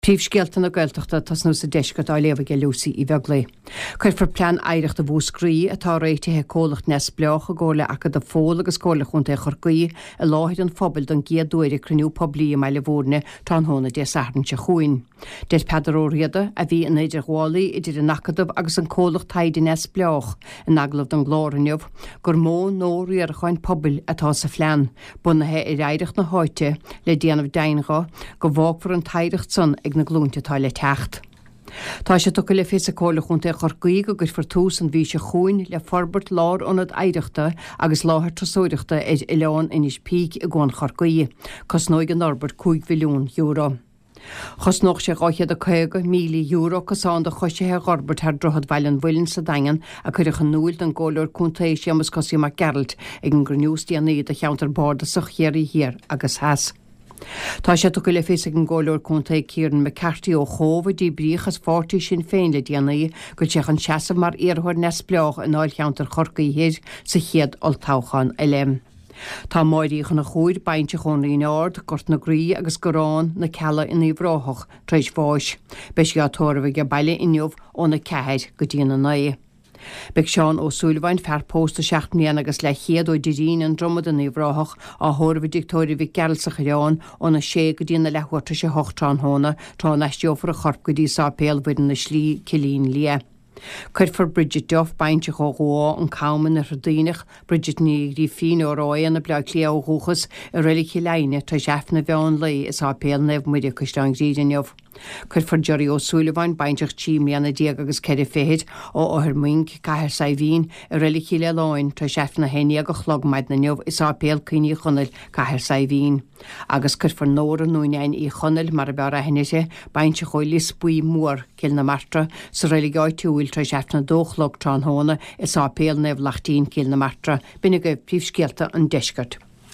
Príomhscéalta na Gaeltachta ag tosnú sa deisceart á léamh aige Lucy Uí Bheaglaoi. Cuirfear Plean Oidhreachta Mhúscraí, atá réitithe ag comhlacht neamhspleách i gcomhar le Acadamh Fódhla agus Comhairle Chontae Chorcaí, i láthair an phobail don gcéad uair ag cruinniú poiblí i mBaile Bhúirne tráthnóna Dé Sathairn seo chugainn. Deir Peadar Ó Riada, a bhí ina idirghabhálaí idir an Acadamh agus an comhlacht taighde neamhspleách, in agallamh don gclár inniu, gur modh nua riaracháin pobail atá sa phlean, bunaithe ar oidhreacht na háite, le déanamh deimhin dho go bhfágfar an t-oidhreacht san ag na glúinte atá le teacht. Tá sé tugtha le fios ag Comhairle Chontae Chorcaí go gcuirfear tús an mhí seo chugainn le forbairt lárionad oidhreachta agus láthair turasóireachta ar oileán Inis Píc i gCuan Chorcaí. Cosnóidh an fhorbairt €5 mhilliún. Chosnódh sé €250,000 cosán do choisithe a dh'fhorbairt thar Droichead Bhaile an Mhuilinn sa Daingean a cuireadh in úil don gComhairleoir Contae Séamus Cosaí Mac Gearailt ag an gcruinniú is déanaí do cheantar bardasach Chiarraí Thiar agus Theas. Tá sé tugtha le fios ag an gComhairleoir Contae Kieran McCarthy ó Chóbh, a díbríodh as pháirtí Sinn Féin le déanaí, go bhfuil sé chun seasamh mar iarrthóir neamhspleách i ndáilcheantar Chorcaí Thoir sa chéad olltoghchán eile. Tá Máire Uí Chonchúir, baintreach ón Rinn Ard, Gort na Graí agus Garrán na Cealla in Uíbh Ráthach, tar éis bháis. Beidh sí á tórramh age baile inniu óna 4 go dtína 9. Beidh Seán Ó Súilleabháin, fear pósta seacht mbliana agus leathchéad ó Dirín, An Dromad in Uíbh Ráthach, á thórramh i dTigh Tórraimh Mhic Gearailt sa Choireán óna 6 go dtína leathuair tar éis a 8 tráthnóna, tráth a n-aistreofar a chorp go dtí Sáipéal Mhuire na Slí, Cillín Liath. Cuirfear Bridget Duff, baintreach ó Dhumha, An Cam in Oirthear Duibhneach, Bridget Ní Ghrífín ó Ráth Éanna, Bleá Cliath ó dhúchas, i Reilig Chill Aidhne tar éis Aifreann an mheán lae i Sáipéal Naomh Muire, Caisleán Ghriaire inniu. Cuirfear Gerry Ó Súilleabháin, baintreach 13 mbliana agus 4 fichid, ó Othar Moing, Cathair Saidhbhín, i Reilig Chill Aoláin tar éis Aifreann a 11 a chlog maidin inniu i Sáipéal Cuimhne Uí Chonaill, Cathair Saidhbhín. Agus cuirfear Nóra nó Neain Uí Chonaill, mar ab fhearr aithne uirthi, baintreach ó Lios Buí Mór, Cill na Martra, sa reilig áitiúil tar éis Aifreann a dó a chlog tráthnóna i Sáipéal Naomh Laichtín, Cill na Martra. B'in agaibh príomhscéalta an deiscirt.